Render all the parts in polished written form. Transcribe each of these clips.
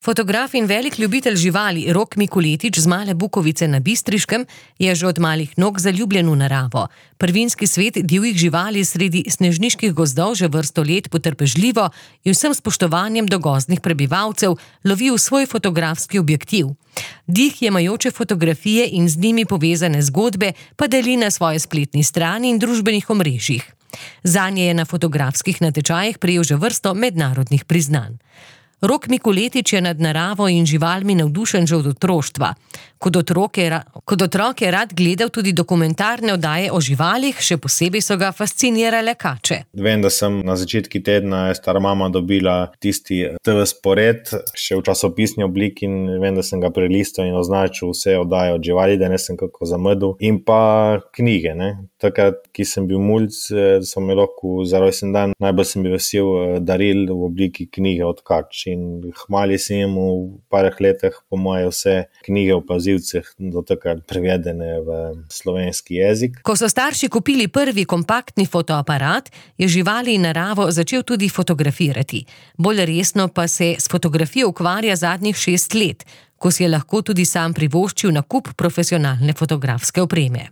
Fotograf in velik ljubitelj živali Rok Mikuletič z Male Bukovice na Bistriškem je že od malih nog zaljubljen v naravo. Prvinski svet divjih živali sredi snežniških gozdov že vrsto let potrpežljivo in vsem spoštovanjem do gozdnih prebivalcev lovi v svoj fotografski objektiv. Dih jemajoče fotografije in z njimi povezane zgodbe pa deli na svoji spletni strani in družbenih omrežjih. Zanje je na fotografskih natečajih prejel že vrsto mednarodnih priznanj. Rok Mikuletič je nad naravo in živalmi navdušen že od otroštva. Kot otrok je rad gledal tudi dokumentarne oddaje o živalih, še posebej so ga fascinirale kače. Vem, da sem na začetku tedna stara mama dobila tisti TV spored, še v časopisni obliki, in vem, da sem ga prelistal in označil vse oddaje od živali, da ne sem kako zamudil. In pa knjige, ne. Takrat, ki sem bil mulj, so me lahko za rojsten dan, najbolj sem bil vesel daril v obliki knjige od kač. In hmali sem jim v parih letih po moje vse knjige o plazilcih do takrat prevedene v slovenski jezik. Ko so starši kupili prvi kompaktni fotoaparat, je živali in naravo začel tudi fotografirati. Bolj resno pa se s fotografijo ukvarja zadnjih 6 let, ko si je lahko tudi sam privoščil nakup profesionalne fotografske opreme.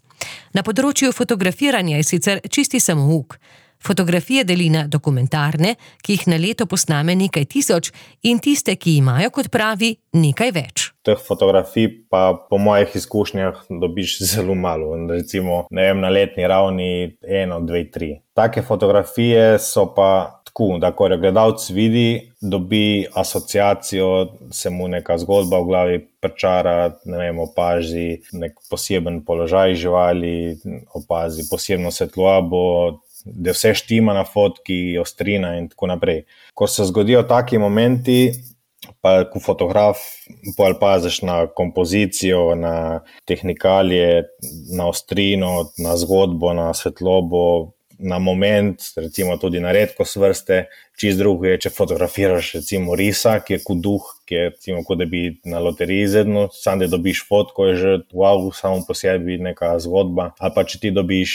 Na področju fotografiranja je sicer čisti samouk. Fotografije deli na dokumentarne, ki jih na leto posname nekaj tisoč, in tiste, ki imajo, kot pravi, nekaj več. Teh fotografij pa po mojih izkušnjah dobiš zelo malo. Recimo, na letni ravni 1, 2, 3. Take fotografije so pa tako, da ko jo gledalec vidi, dobi asociacijo, se mu neka zgodba v glavi pričara, opazi nek poseben položaj živali, opazi posebno svetlobo, da vse štima na fotki, ostrina in tako naprej. Ko se zgodijo taki momenti, pa ko fotograf paziš na kompozicijo, na tehnikalije, na ostrino, na zgodbo, na svetlobo, na moment, recimo tudi na redkost vrste, čisto drugo je, če fotografiraš recimo risa, ki je kot duh, ki je recimo kot da bi na loteriji izvedel, sam da dobiš fotko, je že wow, samo po sebi neka zgodba, ali pa če ti dobiš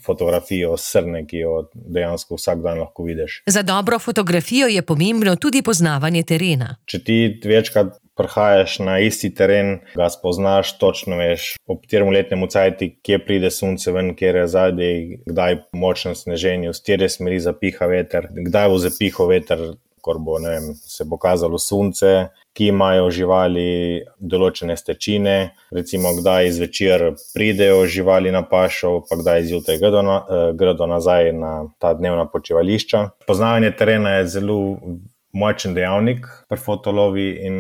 fotografijo srne, ki jo dejansko vsak dan lahko vidiš. Za dobro fotografijo je pomembno tudi poznavanje terena. Če ti večkrat prihajaš na isti teren, ga spoznaš, točno veš, ob katerem letnem cajtu, kje pride sonce ven, kjer je zadaj, kdaj močno sneženje, v katere smeri zapiha veter, kdaj bo zapihal veter, ko bo, se bo kazalo sonce, ki imajo živali določene stečine, recimo kdaj zvečer pridejo živali na pašo, pa kdaj zjutraj gredo nazaj na ta dnevna počivališča. Poznavanje terena je zelo močen dejavnik pri fotolovi in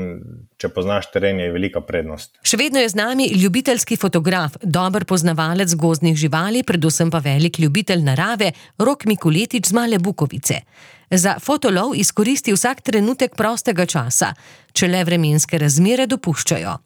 če poznaš teren, je velika prednost. Še vedno je z nami ljubiteljski fotograf, dober poznavalec gozdnih živali, predvsem pa velik ljubitelj narave, Rok Mikuletič z Male Bukovice. Za fotolov izkoristi vsak trenutek prostega časa, če le vremenske razmere dopuščajo.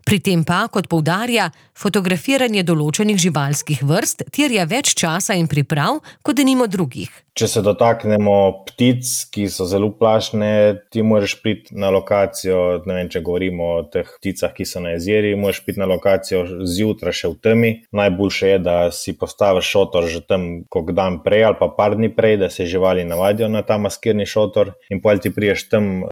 Pri tem pa, kot poudarja, fotografiranje določenih živalskih vrst terja več časa in priprav, kot denimo drugih. Če se dotaknemo ptic, ki so zelo plašne, ti moraš priti na lokacijo, če govorimo o teh pticah, ki so na jezeri, moraš priti na lokacijo zjutraj še v temi. Najboljše je, da si postaviš šotor že tam kak dan prej ali pa par dni prej, da se živali navadijo na ta maskirni šotor, in potem ti priješ tam,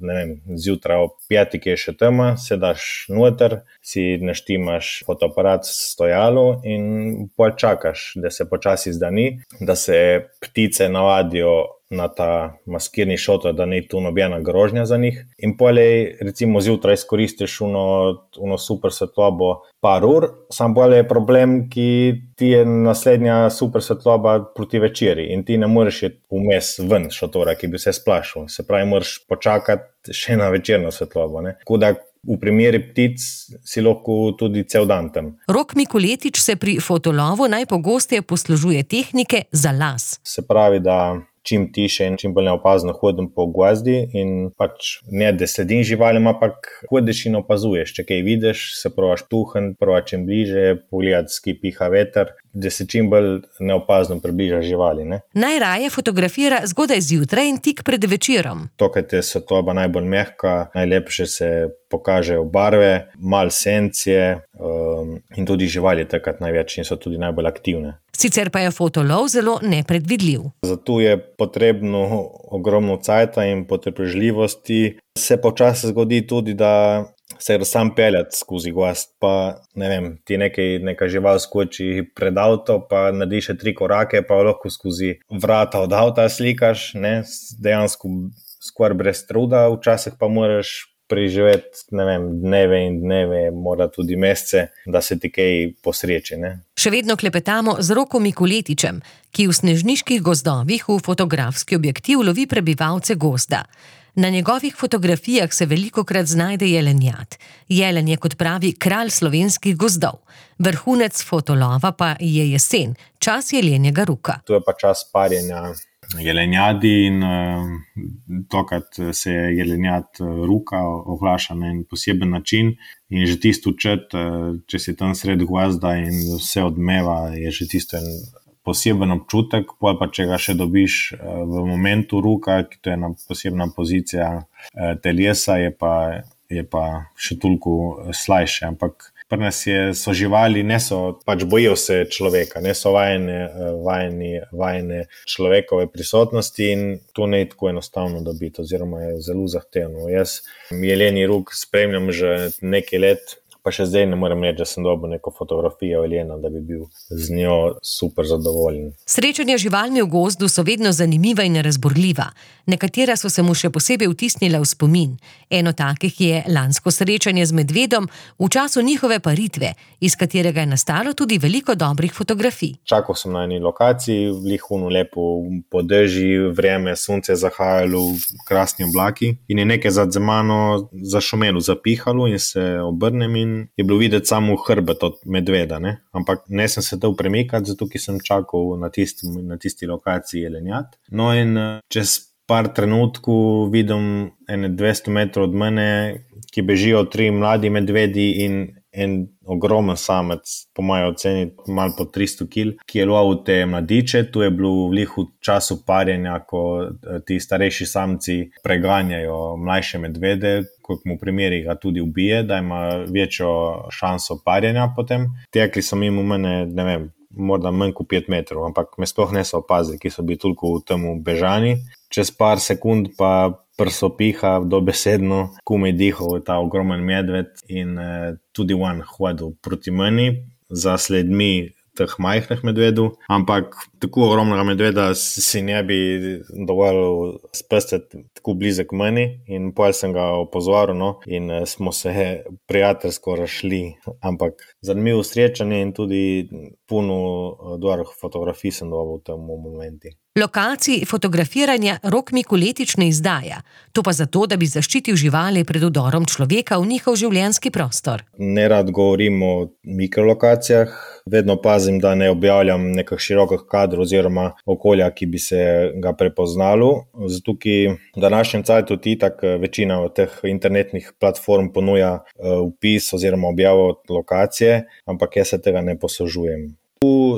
zjutraj ob 5, ki je še tema, se daš noter, si naštimaš fotoaparat s stojalo in potem čakaš, da se počasi zdani, da se ptice navadijo na ta maskirni šotor, da ni tu nobena grožnja za njih. In potem recimo zjutraj izkoristiš uno super svetlobo par ur, sam potem je problem, ki ti je naslednja super svetloba proti večeri in ti ne moreš iti vmes ven šotora, ki bi se splašil. Se pravi, moraš počakati še na večerno svetlobo, ne. Tako da v primeri ptic si lahko tudi cel dan tam. Rok Mikuletič se pri fotolovu najpogosteje poslužuje tehnike za las. Se pravi, da čim tiše in čim bolj neopazno hodim po gozdi in ne, da sledim živalim, ampak hodiš in opazuješ. Če kaj vidiš, se probaš tuhniti, probaš čim bliže, pogledati, s ki piha veter, da se čim bolj neopazno približaš živali, ne. Najraje fotografira zgodaj zjutraj in tik pred večerom. Tokrat je svetloba najbolj mehka, najlepše se pokažejo barve, malo sencije, in tudi živali takrat največ in so tudi najbolj aktivne. Sicer pa je fotolov zelo nepredvidljiv. Zato je potrebno ogromno cajta in potrpežljivosti. Se počasi zgodi tudi, da se sam peljati skozi gozd, pa ne vem, ti neka žival skoči pred avto, pa narediš 3 korake, pa lahko skozi vrata od avta slikaš, ne, dejansko skoraj brez truda, včasih pa moraš preživeti, ne vem, dneve in dneve, mora tudi mesece, da se ti kaj posreči, ne. Še vedno klepetamo z Rokom Mikuletičem, ki v snežniških gozdovih v fotografski objektiv lovi prebivalce gozda. Na njegovih fotografijah se velikokrat znajde jelenjad. Jelen je, kot pravi, kralj slovenskih gozdov. Vrhunec fotolova pa je jesen, čas jelenjega ruka. To je pa čas parjenja jelenjadi in tokrat se jelenjad ruka oglaša na en poseben način in že tisto čut, če si tam sred gozda in vse odmeva, je že tisto en poseben občutek, pa če ga še dobiš v momentu ruka, ki to je ena posebna pozicija telesa, je pa še toliko slajše, ampak pri nas so živali, pač bojijo se človeka, ne so vajene človekove prisotnosti in to ne je tako enostavno dobiti, oziroma je zelo zahtevno. Jaz jeleni ruk spremljam že nekaj let, pa še zdaj ne morem reči, da sem dobil neko fotografijo jelena, da bi bil z njo super zadovoljen. Srečanja z živalmi v gozdu so vedno zanimiva in razburljiva. Nekatera so se mu še posebej vtisnila v spomin. Eno takih je lansko srečanje z medvedom v času njihove paritve, iz katerega je nastalo tudi veliko dobrih fotografij. Čakal sem na eni lokaciji, lihuno lepo podeži, vreme, sonce zahajalo, krasni oblaki in je nekaj za mano zašumelo, zapihalo in se obrnem in je bilo videti samo hrbet od medveda, ne? Ampak ne sem se dal premikati, zato ki sem čakal na tisti lokaciji jelenjad. No in čez par trenutkov vidim ene 200 metrov od mene, ki bežijo 3 mladi medvedi in en ogromen samec, po moji oceni malo po 300 kg, ki je lovil te mladiče. Tu je bilo v lihu času parjenja, ko ti starejši samci preganjajo mlajše medvede, kot mu primeri ga tudi ubije, da ima večjo šanso parjenja potem. Tekli so mimo mene, ne vem, morda manj kot 5 metrov, ampak me sploh niso opazili, ki so bili toliko v temu bežani. Čez par sekund pa prsopiha dobesedno, komaj dihal ta ogromen medved in tudi on hodil proti meni za sledmi teh majhnih medvedov, ampak tako ogromnega medveda si ne bi dovolil spustiti tako blizek meni in potem sem ga opozoril, no, in smo se prijateljsko razšli, ampak zanimivo srečanje in tudi puno dobrih fotografij sem dobil v tem momentu. Lokacij fotografiranja Rok Mikuletič ne izdaja, to pa zato, da bi zaščitil živali pred vdorom človeka v njihov življenjski prostor. Nerad govorim o mikrolokacijah, vedno pazim, da ne objavljam nekih širokih kadrov oziroma okolja, ki bi se ga prepoznalo. Zato, ki v današnjem cajtu itak večina teh internetnih platform ponuja vpis oziroma objavo lokacije, ampak jaz se tega ne poslužujem.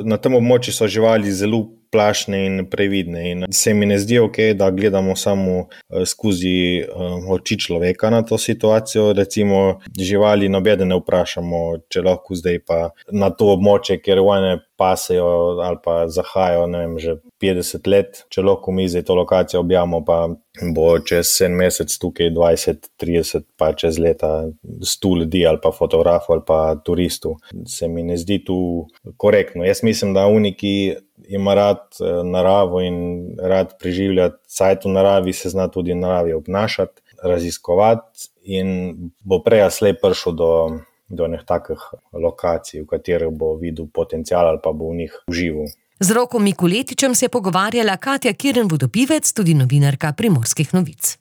Na tem območju so živali zelo plašne in previdne in se mi ne zdi ok, da gledamo samo skozi oči človeka na to situacijo. Recimo živali nobeden ne vprašamo, če lahko zdaj pa na to območje, kjer one pasejo ali pa zahajajo, ne vem, že 50 let, če lahko mi zdaj to lokacijo objavimo, pa bo čez en mesec tukaj 20, 30, pa čez leta 100 ljudi ali pa fotografov ali pa turistov. Se mi ne zdi tu korektno. Jaz mislim, da ki ima rad naravo in rad preživljati cajt v naravi, se zna tudi v naravi obnašati, raziskovati in bo prej ali slej prišel do nekih takih lokacij, v katerih bo videl potencial ali pa bo v njih užival. Z Rokom Mikuletičem se je pogovarjala Katja Kirn Vodopivec, tudi novinarka Primorskih novic.